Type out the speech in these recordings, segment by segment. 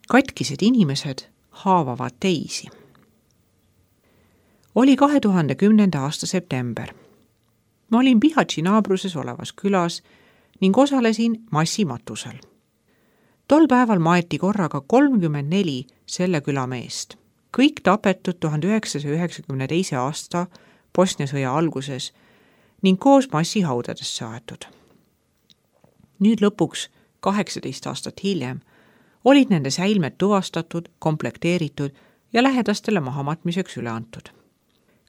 katkised inimesed haavavad teisi. Oli 2010. aasta september. Ma olin Bihaći naabruses olevas külas ning osalesin massimatusel. Tol päeval maeti korraga 34 selle küla meest. Kõik tapetud 1992. aasta Bosnia sõja alguses ning koos massihaudadesse aetud. Nüüd lõpuks 18 aastat hiljem olid nende säilmed tuvastatud, komplekteeritud ja lähedastele mahamatmiseks üle antud.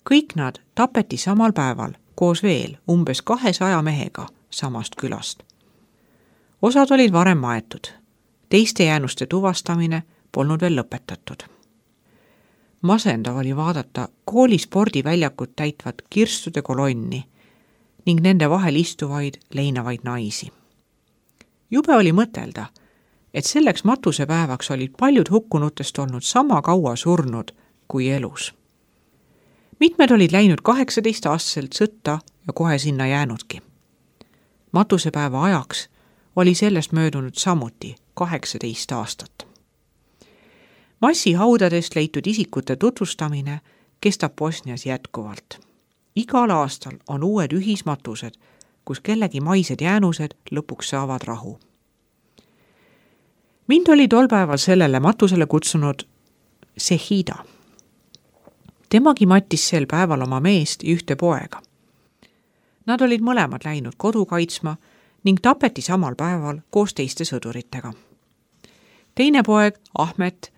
Kõik nad tapeti samal päeval koos veel umbes 200 mehega samast külast. Osad olid varem maetud, teiste jäänuste tuvastamine polnud veel lõpetatud. Masendav oli vaadata kooli spordiväljakut täitvat kirstude kolonni ning nende vahel istuvaid leinavaid naisi. Jube oli mõtelda, et selleks matusepäevaks olid paljud hukkunutest olnud sama kaua surnud kui elus. Mitmed olid läinud 18-aastaselt sõtta ja kohe sinna jäänudki. Matusepäeva ajaks oli sellest möödunud samuti 18 aastat. Massihaudadest leitud isikute tutvustamine kestab Bosnias jätkuvalt. Igal aastal on uued ühismatused, kus kellegi maised jäänused lõpuks saavad rahu. Mind oli tol päeval sellele matusele kutsunud Sehida. Temagi mattis sel päeval oma meest ja ühte poega. Nad olid mõlemad läinud kodu kaitsma ning tapeti samal päeval koos teiste sõduritega. Teine poeg, Ahmet,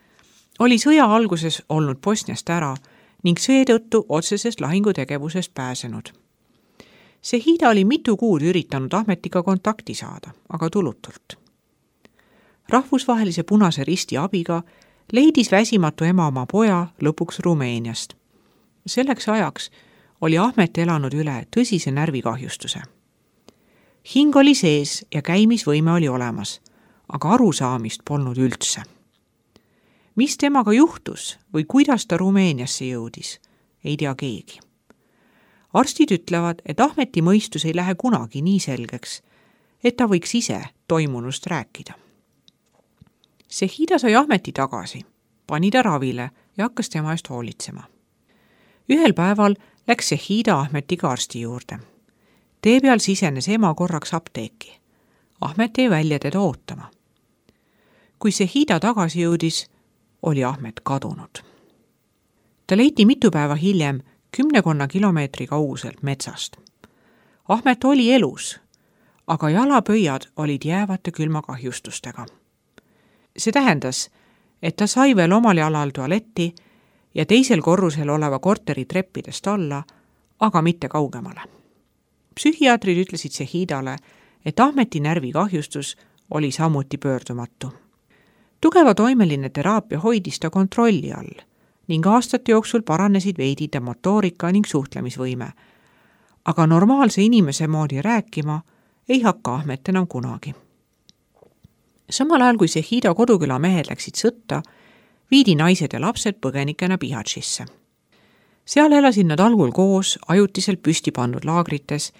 oli sõja alguses olnud Bosniast ära ning seetõttu otsesest lahingutegevusest pääsenud. Sehida oli mitu kuud üritanud Ahmetiga kontakti saada, aga tulutult. Rahvusvahelise Punase Risti abiga leidis väsimatu ema oma poja lõpuks Rumeeniast. Selleks ajaks oli Ahmet elanud üle tõsise närvikahjustuse. Hing oli sees ja käimisvõime oli olemas, aga arusaamist polnud üldse. Mis temaga juhtus või kuidas ta Rumeeniasse jõudis, ei tea keegi. Arstid ütlevad, et Ahmeti mõistus ei lähe kunagi nii selgeks, et ta võiks ise toimunust rääkida. Sehida sai Ahmeti tagasi, pani ta ravile ja hakkas tema eest hoolitsema. Ühel päeval läks Sehida Ahmetiga arsti juurde. Tee peal sisenes ema korraks apteeki. Ahmet jäi välja teda ootama. Kui Sehida tagasi jõudis, oli Ahmet kadunud. Ta leiti mitu päeva hiljem 10 kilomeetri kauguselt metsast. Ahmet oli elus, aga jalapöiad olid jäävate külmakahjustustega. See tähendas, et ta sai veel omal jalal tualetti ja teisel korrusel oleva korteri treppidest alla, aga mitte kaugemale. Psühhiaatrid ütlesid Sehidale, et Ahmeti närvikahjustus oli samuti pöördumatu. Tugeva toimeline teraapia hoidis ta kontrolli all ning aastate jooksul paranesid veidi ta motoorika ning suhtlemisvõime, aga normaalse inimese moodi rääkima ei hakka Ahmet enam kunagi. Samal ajal kui Sehida koduküla mehed läksid sõtta, viidi naised ja lapsed põgenikena Bihaćisse. Seal elasid nad algul koos ajutiselt püsti pandud laagrites,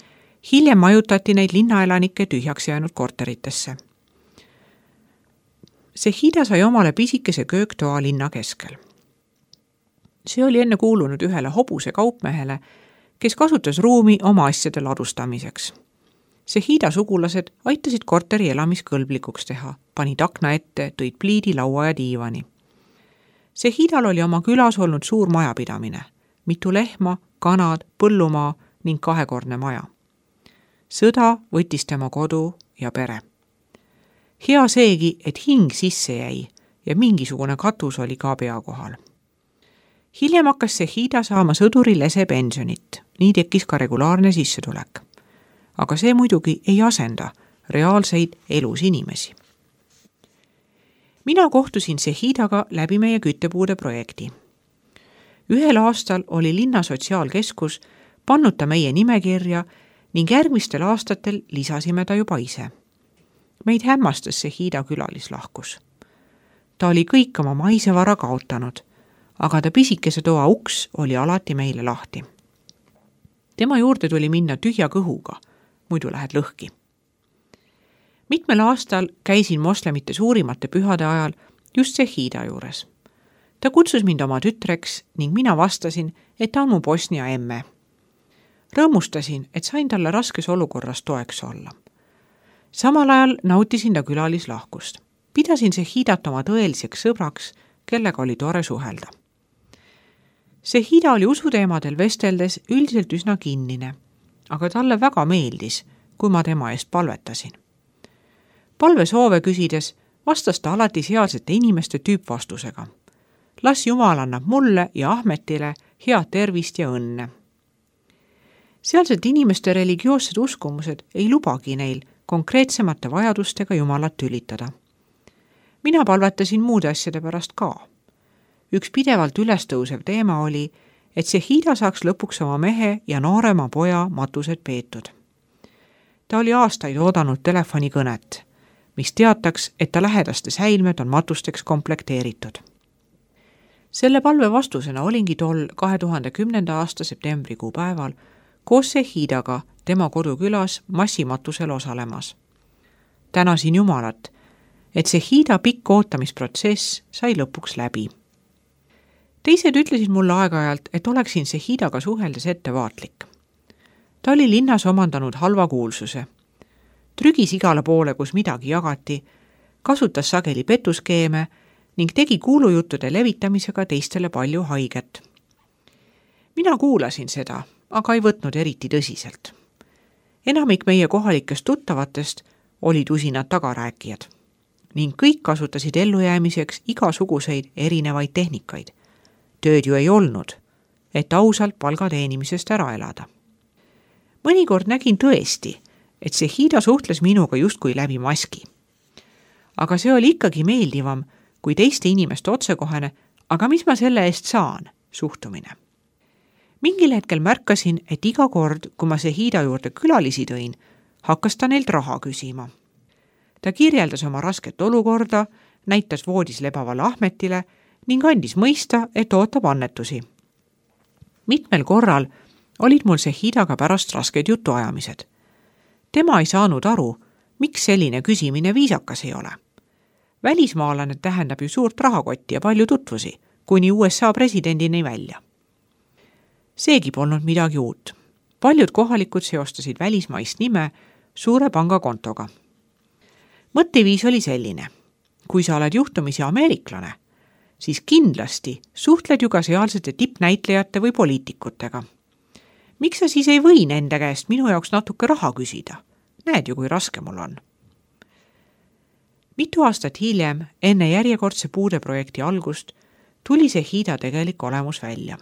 hiljem majutati neid linnaelanike tühjaks jäänud korteritesse. Sehida sai omale pisikese kööktoa linna keskel. See oli enne kuulunud ühele hobuse kaupmehele, kes kasutas ruumi oma asjade ladustamiseks. Sehida sugulased aitasid korteri elamiskõlblikuks teha, panid akna ette, tõid pliidi, laua ja diivani. Sehidal oli oma külas olnud suur majapidamine, mitu lehma, kanad, põllumaa ning 2-kordne maja. Sõda võttis tema kodu ja pere. Hea seegi, et hing sisse jäi ja mingisugune katus oli ka pea kohal. Hiljem hakkas Sehida saama sõduri lese pensionit, nii tekkis ka regulaarne sissetulek. Aga see muidugi ei asenda reaalseid elus inimesi. Mina kohtusin Sehidaga läbi meie küttepuude projekti. Ühel aastal oli linna sotsiaalkeskus pannud ta meie nimekirja ning järgmistel aastatel lisasime ta juba ise. Meid hämmastas Sehida külalislahkus. Ta oli kõik oma maisevara kaotanud, aga ta pisikese toa uks oli alati meile lahti. Tema juurde tuli minna tühja kõhuga, muidu lähed lõhki. Mitmel aastal käisin moslemite suurimate pühade ajal just Zehida juures. Ta kutsus mind oma tütreks ning mina vastasin, et ta on mu Bosnia emme. Rõõmustasin, et sain talle raskes olukorras toeks olla. Samal ajal nautisin ta külalislahkust. Pidasin Zehidat oma tõeliseks sõbraks, kellega oli tore suhelda. Zehida oli usuteemadel vesteldes üldiselt üsna kinnine, aga talle väga meeldis, kui ma tema eest palvetasin. Palvesoove küsides vastas ta alati sealsete inimeste tüüpvastusega. Las Jumal annab mulle ja Ahmetile head tervist ja õnne. Sealsete inimeste religioossed uskumused ei lubagi neil konkreetsemate vajadustega Jumalat tülitada. Mina palvetasin muude asjade pärast ka. Üks pidevalt ülestõusev teema oli, et Zehida saaks lõpuks oma mehe ja noorema poja matused peetud. Ta oli aastaid oodanud telefonikõnet, mis teataks, et ta lähedaste säilmed on matusteks komplekteeritud. Selle palve vastusena olingi tol 2010. aasta septembrikuu päeval koos Zehidaga tema kodukülas massimatusel osalemas. Tänasin Jumalat, et Zehida pikk ootamisprotsess sai lõpuks läbi. Teised ütlesid mulle aeg-ajalt, et oleksin Zehidaga suheldes ettevaatlik. Ta oli linnas omandanud halva kuulsuse. Trügis igale poole, kus midagi jagati, kasutas sageli petuskeeme ning tegi kuulujuttude levitamisega teistele palju haiget. Mina kuulasin seda, aga ei võtnud eriti tõsiselt. Enamik meie kohalikest tuttavatest olid usinad tagarääkijad ning kõik kasutasid ellujäämiseks igasuguseid erinevaid tehnikaid. Tööd ju ei olnud, et ausalt palga teenimisest ära elada. Mõnikord nägin tõesti, et Zehida suhtles minuga justkui läbi maski. Aga see oli ikkagi meeldivam kui teiste inimeste otsekohene, aga mis ma selle eest saan, suhtumine. Mingil hetkel märkasin, et iga kord, kui ma Zehida juurde külalisi tõin, hakkas ta neilt raha küsima. Ta kirjeldas oma rasket olukorda, näitas voodis lebavale Ahmetile ning andis mõista, et ootab annetusi. Mitmel korral olid mul Zehidaga pärast rasked jutuajamised. Tema ei saanud aru, miks selline küsimine viisakas ei ole. Välismaalane tähendab ju suurt rahakotti ja palju tutvusi, kuni USA presidendini välja. Seegi polnud midagi uut. Paljud kohalikud seostasid välismaist nime suure pangakontoga. Mõtteviis oli selline. Kui sa oled juhtumisi ameeriklane, siis kindlasti suhtled ju ka sealsete tippnäitlejate või poliitikutega. Miks sa siis ei või nende käest minu jaoks natuke raha küsida? Näed ju, kui raske mul on. Mitu aastat hiljem, enne järjekordse puudeprojekti algust, tuli Zehida tegelik olemus välja.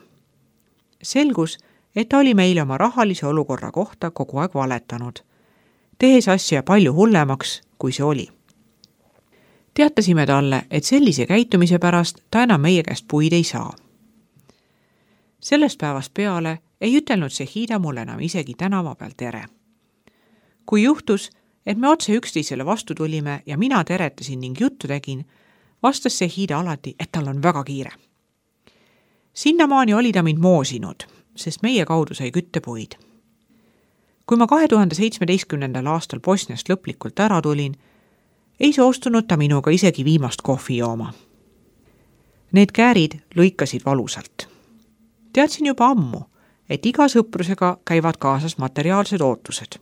Selgus, et ta oli meile oma rahalise olukorra kohta kogu aeg valetanud, tehes asja palju hullemaks, kui see oli. Teatasime talle, et sellise käitumise pärast ta enam meie käest puid ei saa. Sellest päevast peale ei ütelnud Zehida mulle enam isegi tänava peal tere. Kui juhtus, et me otse üksteisele vastu tulime ja mina teretasin ning juttu tegin, vastas Zehida alati, et tal on väga kiire. Sinnamaani oli ta mind moosinud, sest meie kaudu sai küttepuid. Kui ma 2017. aastal Bosniast lõplikult ära tulin, ei soostunud ta minuga isegi viimast kohvi jooma. Need käärid lõikasid valusalt. Teadsin juba ammu, et iga sõprusega käivad kaasas materiaalsed ootused.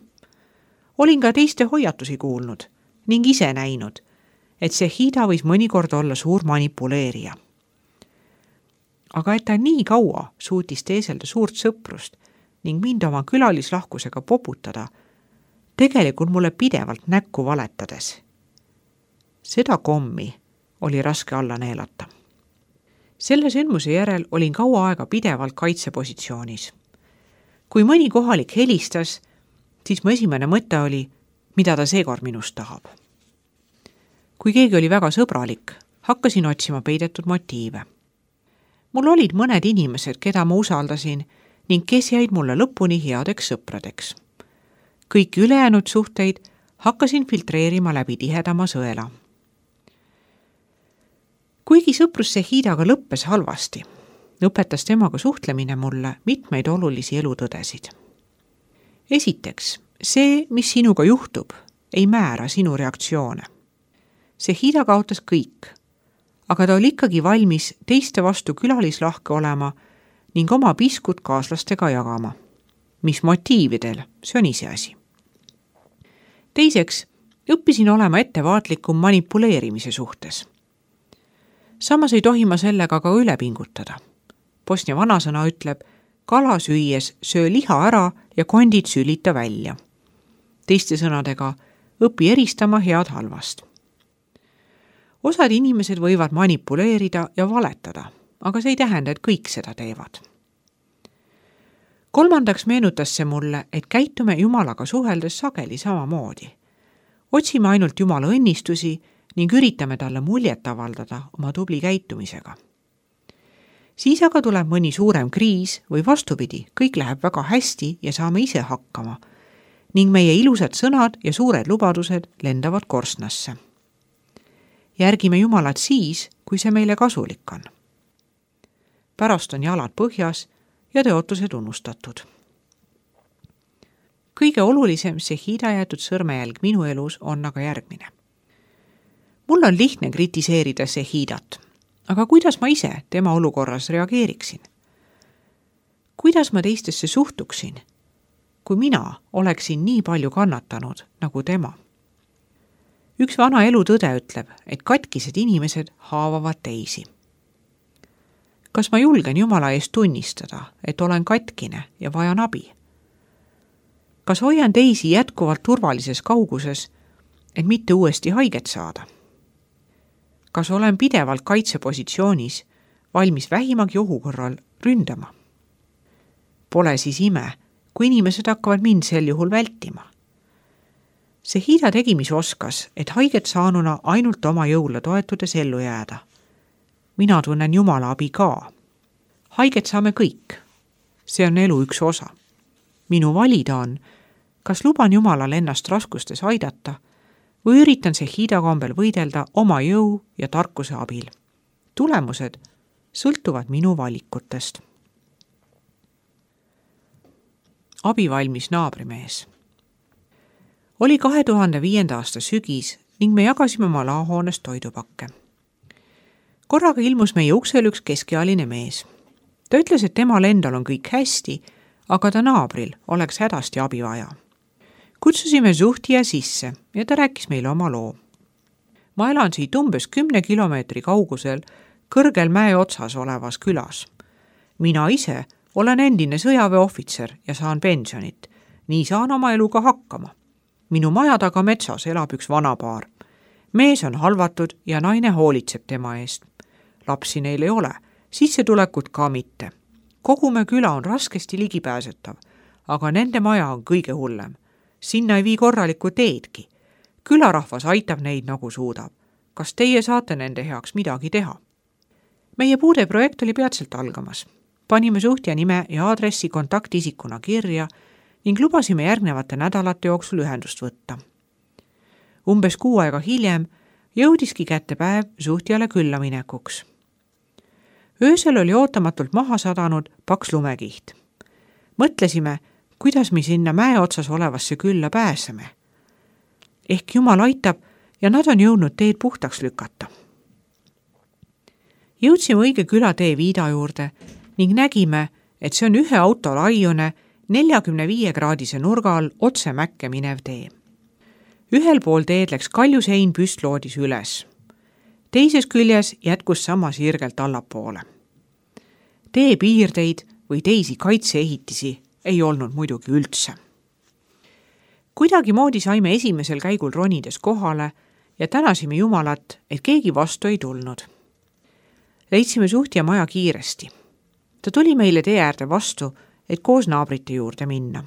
Olin ka teiste hoiatusi kuulnud ning ise näinud, et Zehida võis mõnikord olla suur manipuleerija. Aga et ta nii kaua suutis teeselda suurt sõprust ning mind oma külalislahkusega poputada, tegelikult mulle pidevalt näkku valetades. Seda kommi oli raske alla neelata. Selle sündmuse järel olin kaua aega pidevalt kaitsepositsioonis. Kui mõni kohalik helistas, siis mu esimene mõte oli, mida ta seekord minust tahab. Kui keegi oli väga sõbralik, hakkasin otsima peidetud motiive. Mul olid mõned inimesed, keda ma usaldasin ning kes jäid mulle lõpuni headeks sõpradeks. Kõik ülejäänud suhteid hakkasin filtreerima läbi tihedama sõela. Kuigi sõprus Zehidaga lõppes halvasti, õpetas temaga suhtlemine mulle mitmeid olulisi elutõdesid. Esiteks, see, mis sinuga juhtub, ei määra sinu reaktsioone. Zehida kaotas kõik, aga ta oli ikkagi valmis teiste vastu külalislahke olema ning oma piskut kaaslastega jagama. Mis motiividel, see on iseasi. Teiseks, õppisin olema ettevaatlikum manipuleerimise suhtes. Samas ei tohi ma sellega ka üle pingutada. Bosnia vanasõna ütleb, kala süües söö liha ära ja kondid sülita välja. Teiste sõnadega, õpi eristama head halvast. Osad inimesed võivad manipuleerida ja valetada, aga see ei tähenda, et kõik seda teevad. Kolmandaks meenutas see mulle, et käitume Jumalaga suheldes sageli samamoodi. Otsime ainult Jumala õnnistusi ning üritame talle muljet avaldada oma tubli käitumisega. Siis aga tuleb mõni suurem kriis või vastupidi, kõik läheb väga hästi ja saame ise hakkama ning meie ilusad sõnad ja suured lubadused lendavad korstnasse. Järgime Jumalat siis, kui see meile kasulik on. Pärast on jalad põhjas ja tõotused unustatud. Kõige olulisem Zehida jäetud sõrmejälg minu elus on aga järgmine. Mul on lihtne kritiseerida Zehidat, aga kuidas ma ise tema olukorras reageeriksin? Kuidas ma teistesse suhtuksin, kui mina oleksin nii palju kannatanud nagu tema? Üks vana elutõde ütleb, et katkised inimesed haavavad teisi. Kas ma julgen Jumala eest tunnistada, et olen katkine ja vajan abi? Kas hoian teisi jätkuvalt turvalises kauguses, et mitte uuesti haiget saada? Kas olen pidevalt kaitsepositsioonis, valmis vähimagi ohu korral ründama? Pole siis ime, kui inimesed hakkavad mind sel juhul vältima. Zehida tegi, mis oskas, et haiget saanuna ainult oma jõule toetudes ellu jääda. Mina tunnen Jumala abi ka. Haiget saame kõik. See on elu üks osa. Minu valida on, kas luban Jumalal ennast raskustes aidata või üritan Zehida kombel võidelda oma jõu ja tarkuse abil. Tulemused sõltuvad minu valikutest. Abivalmis naabrimees. Oli 2005. aasta sügis ning me jagasime oma laohoones toidupakke. Korraga ilmus meie uksel üks keskealine mees. Ta ütles, et temal endal on kõik hästi, aga ta naabril oleks hädasti abi vaja. Kutsusime Zuhtija sisse ja ta rääkis meile oma loo. Ma elan siit umbes 10 kilomeetri kaugusel kõrgel mäe otsas olevas külas. Mina ise olen endine sõjaväeohvitser ja saan pensionit. Nii saan oma eluga hakkama. Minu maja taga metsas elab üks vanapaar. Mees on halvatud ja naine hoolitseb tema eest. Lapsi neil ei ole, sissetulekut ka mitte. Kogu me küla on raskesti ligipääsetav, aga nende maja on kõige hullem. Sinna ei vii korralikku teedki. Külarahvas aitab neid nagu suudab. Kas teie saate nende heaks midagi teha? Meie puudeprojekt oli peatselt algamas. Panime Zuhtija nime ja aadressi kontaktisikuna kirja ning lubasime järgnevate nädalate jooksul ühendust võtta. Umbes 6 aega hiljem jõudiski kätte päev Zuhtijale külla minekuks. Öösel oli ootamatult maha sadanud paks lumekiht. Mõtlesime, kuidas me sinna mäe otsas olevasse külla pääseme. Ehk Jumal aitab ja nad on jõudnud teed puhtaks lükata. Jõudsime õige külatee Viida juurde ning nägime, et see on ühe auto laiune 45-kraadise nurga all otse mäkke minev tee. Ühel pool teed läks kaljusein püstloodis üles. Teises küljes jätkus sama sirgelt allapoole. Tee piirdeid või teisi kaitseehitisi ei olnud muidugi üldse. Kuidagi moodi saime esimesel käigul ronides kohale ja tänasime Jumalat, et keegi vastu ei tulnud. Leidsime Zuhtija maja kiiresti. Ta tuli meile tee äärde vastu, et koos naabrite juurde minna.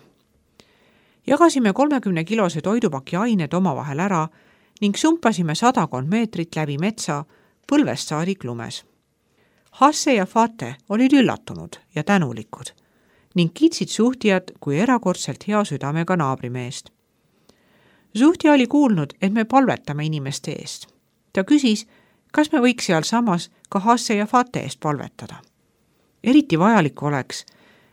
Jagasime 30-kilose toidupaki ained omavahel ära ning sumpasime 100 meetrit läbi metsa põlvest saadik lumes. Hasse ja Fate olid üllatunud ja tänulikud ning kiitsid Zuhtijat kui erakordselt hea südamega naabrimeest. Zuhtija oli kuulnud, et me palvetame inimeste eest. Ta küsis, kas me võiks seal samas ka Hasse ja Fate eest palvetada. Eriti vajalik oleks,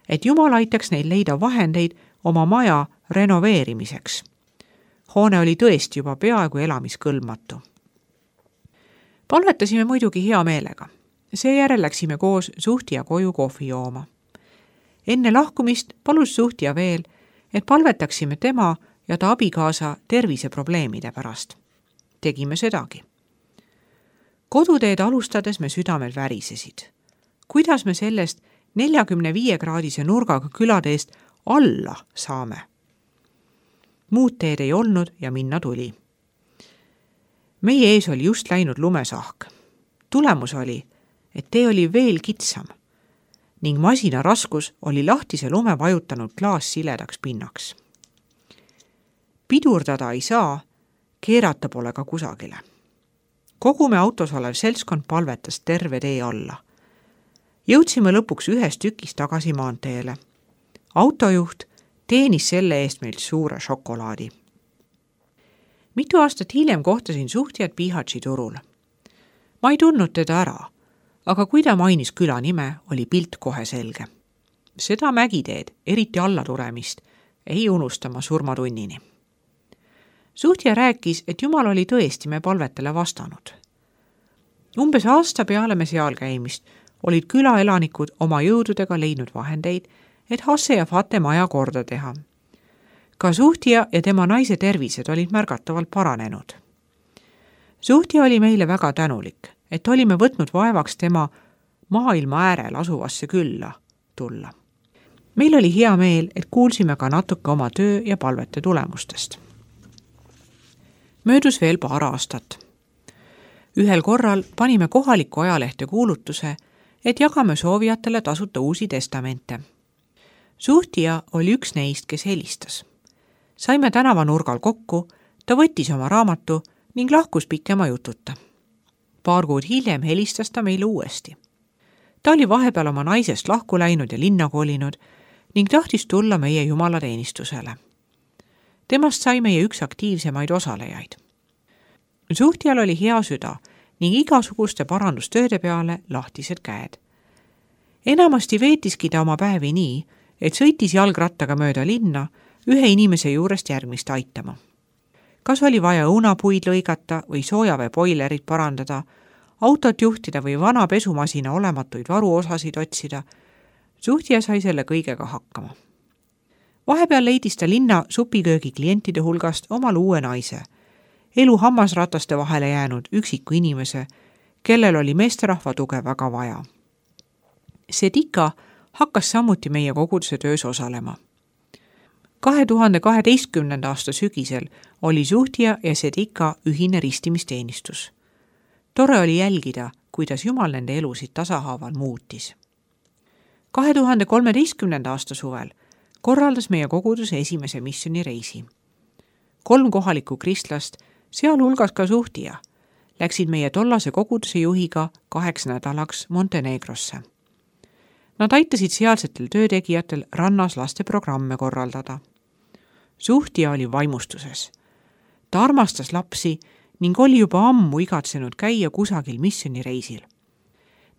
et Jumal aitaks neil leida vahendeid oma maja renoveerimiseks. Hoone oli tõesti juba peaaegu elamiskõlbmatu. Palvetasime muidugi hea meelega. Seejärel läksime koos suhtija koju kohvi jooma. Enne lahkumist palus suhtija veel, et palvetaksime tema ja ta abikaasa terviseprobleemide pärast. Tegime sedagi. Koduteed alustades me südamed värisesid. Kuidas me sellest 45-kraadise nurgaga küladeest alla saame? Muud teed ei olnud ja minna tuli. Meie ees oli just läinud lumesahk. Tulemus oli, et tee oli veel kitsam ning masina raskus oli lahtise lume vajutanud klaas siledaks pinnaks. Pidurdada ei saa, keerata pole ka kusagile. Kogu me autos olev seltskond palvetas terve tee alla. Jõudsime lõpuks ühes tükis tagasi maanteele. Autojuht teenis selle eest meilt suure šokolaadi. Mitu aastat hiljem kohtasin suhtjat Bihaći turul. Ma ei tundnud teda ära, aga kui ta mainis küla nime, oli pilt kohe selge. Seda mägiteed, eriti allatulemist, ei unustama surmatunnini. Suhtja rääkis, et Jumal oli tõesti me palvetele vastanud. Umbes aasta peale me seal käimist olid külaelanikud oma jõududega leidnud vahendeid, et Hasse ja Fate maja korda teha. Ka Suhtja ja tema naise tervised olid märgatavalt paranenud. Suhtja oli meile väga tänulik, et olime võtnud vaevaks tema maailma äärel asuvasse külla tulla. Meil oli hea meel, et kuulsime ka natuke oma töö ja palvete tulemustest. Möödus veel paar aastat. Ühel korral panime kohaliku ajalehte kuulutuse, et jagame soovijatele tasuta uusi testamente. Suhtja oli üks neist, kes helistas. Saime tänavanurgal kokku, ta võttis oma raamatu ning lahkus pikema jututa. Paar kuud hiljem helistas ta meile uuesti. Ta oli vahepeal oma naisest lahku läinud ja linna kolinud ning tahtis tulla meie jumalateenistusele. Temast sai meie üks aktiivsemaid osalejaid. Suhtjal oli hea süda ning igasuguste parandustööde peale lahtised käed. Enamasti veetiski ta oma päevi nii, et sõitis jalgrattaga mööda linna ühe inimese juurest järgmist aitama. Kas oli vaja õunapuid lõigata või soojaveepoilerit parandada, autot juhtida või vana pesumasina olematuid varuosasid otsida, Suhtja sai selle kõigega hakkama. Vahepeal leidis ta linna supiköögi klientide hulgast omal uue naise, elu hammasrataste vahele jäänud üksiku inimese, kellel oli meesterahva tuge väga vaja. Sedika hakkas samuti meie koguduse töös osalema. 2012. aasta sügisel oli Suhtja ja Sedika ühine ristimisteenistus. Tore oli jälgida, kuidas Jumal nende elusid tasahaaval muutis. 2013. aasta suvel korraldas meie koguduse esimese missionireisi. 3 kohalikku kristlast, sealhulgas ka Suhtja, läksid meie tollase koguduse juhiga 8 nädalaks Montenegrosse. Nad aitasid sealsetel töötegijatel rannas lasteprogramme korraldada. Suhtja oli vaimustuses. Ta armastas lapsi ning oli juba ammu igatsenud käia kusagil missionireisil.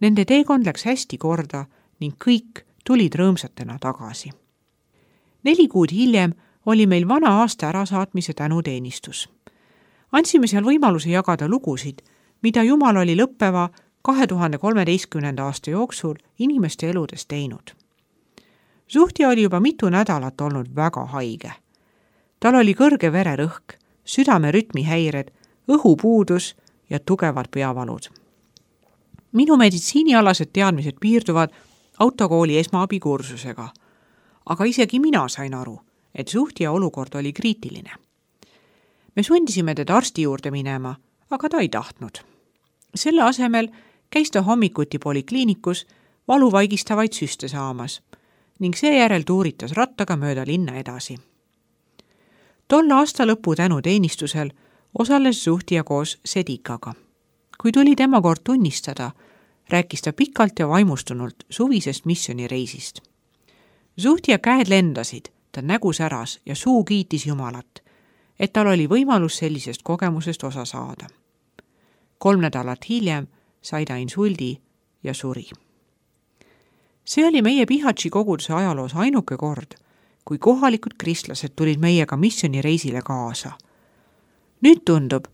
Nende teekond läks hästi korda ning kõik tulid rõõmsatena tagasi. 4 kuud hiljem oli meil vana aasta ärasaatmise tänuteenistus. Andsime seal võimaluse jagada lugusid, mida Jumal oli lõppeva 2013. aasta jooksul inimeste eludes teinud. Suhtja oli juba mitu nädalat olnud väga haige. Tal oli kõrge vererõhk, südamerütmihäired, õhupuudus ja tugevad peavalud. Minu meditsiinialased teadmised piirduvad autokooli esmaabikursusega, aga isegi mina sain aru, et Suhtja olukord oli kriitiline. Me sundisime teda arsti juurde minema, aga ta ei tahtnud. Selle asemel käis ta hommikuti polikliinikus valuvaigistavaid süste saamas ning seejärel tuuritas rattaga mööda linna edasi. Tol aasta lõpu tänuteenistusel osales Suhtja koos Sedikaga. Kui tuli tema kord tunnistada, rääkis ta pikalt ja vaimustunult suvisest missionireisist. Suhtja käed lendasid, ta nägu säras ja suu kiitis Jumalat, et tal oli võimalus sellisest kogemusest osa saada. 3 nädalat hiljem sai ta insuldi ja suri. See oli meie Bihaći koguduse ajaloos ainuke kord, kui kohalikud kristlased tulid meiega missionireisile kaasa. Nüüd tundub,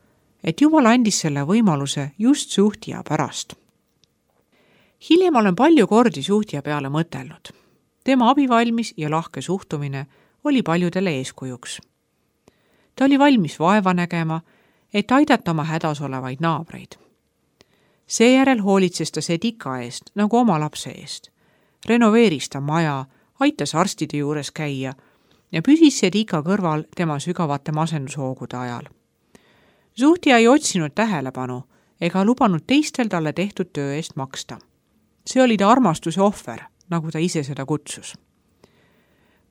et Jumal andis selle võimaluse just suhtija pärast. Hiljem olen palju kordi suhtija peale mõtelnud. Tema abivalmis ja lahke suhtumine oli paljudele eeskujuks. Ta oli valmis vaeva nägema, et aidata oma hädas olevaid naabreid. Seejärel hoolitses ta Sedika eest nagu oma lapse eest. Renoveeris ta maja, aitas arstide juures käia ja püsis Sedika kõrval tema sügavate masendushoogude ajal. Suhtija ei otsinud tähelepanu ega lubanud teistel talle tehtud töö eest maksta. See oli ta armastuse ohver, nagu ta ise seda kutsus.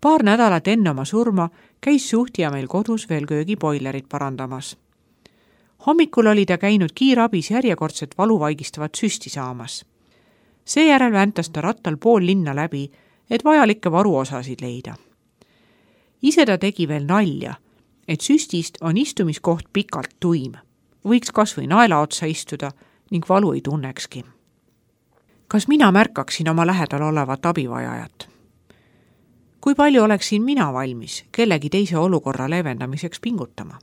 Paar nädalat enne oma surma käis suhtija meil kodus veel köögiboilerit parandamas. Hommikul oli ta käinud kiirabis järjekordset valuvaigistavat süsti saamas. Seejärel väntas ta rattal pool linna läbi, et vajalikke varuosasid leida. Ise ta tegi veel nalja, et süstist on istumiskoht pikalt tuim. Võiks kas või naela otsa istuda ning valu ei tunnekski. Kas mina märkaksin oma lähedal olevat abivajajat? Kui palju oleksin mina valmis kellegi teise olukorra leevendamiseks pingutama?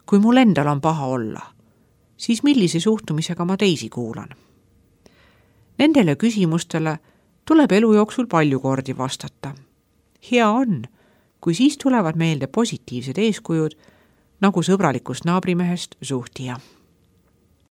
Kui mul endal on paha olla, siis millise suhtumisega ma teisi kuulan? Nendele küsimustele tuleb elu jooksul palju kordi vastata. Hea on, kui siis tulevad meelde positiivsed eeskujud, nagu sõbralikust naabrimehest suhtija.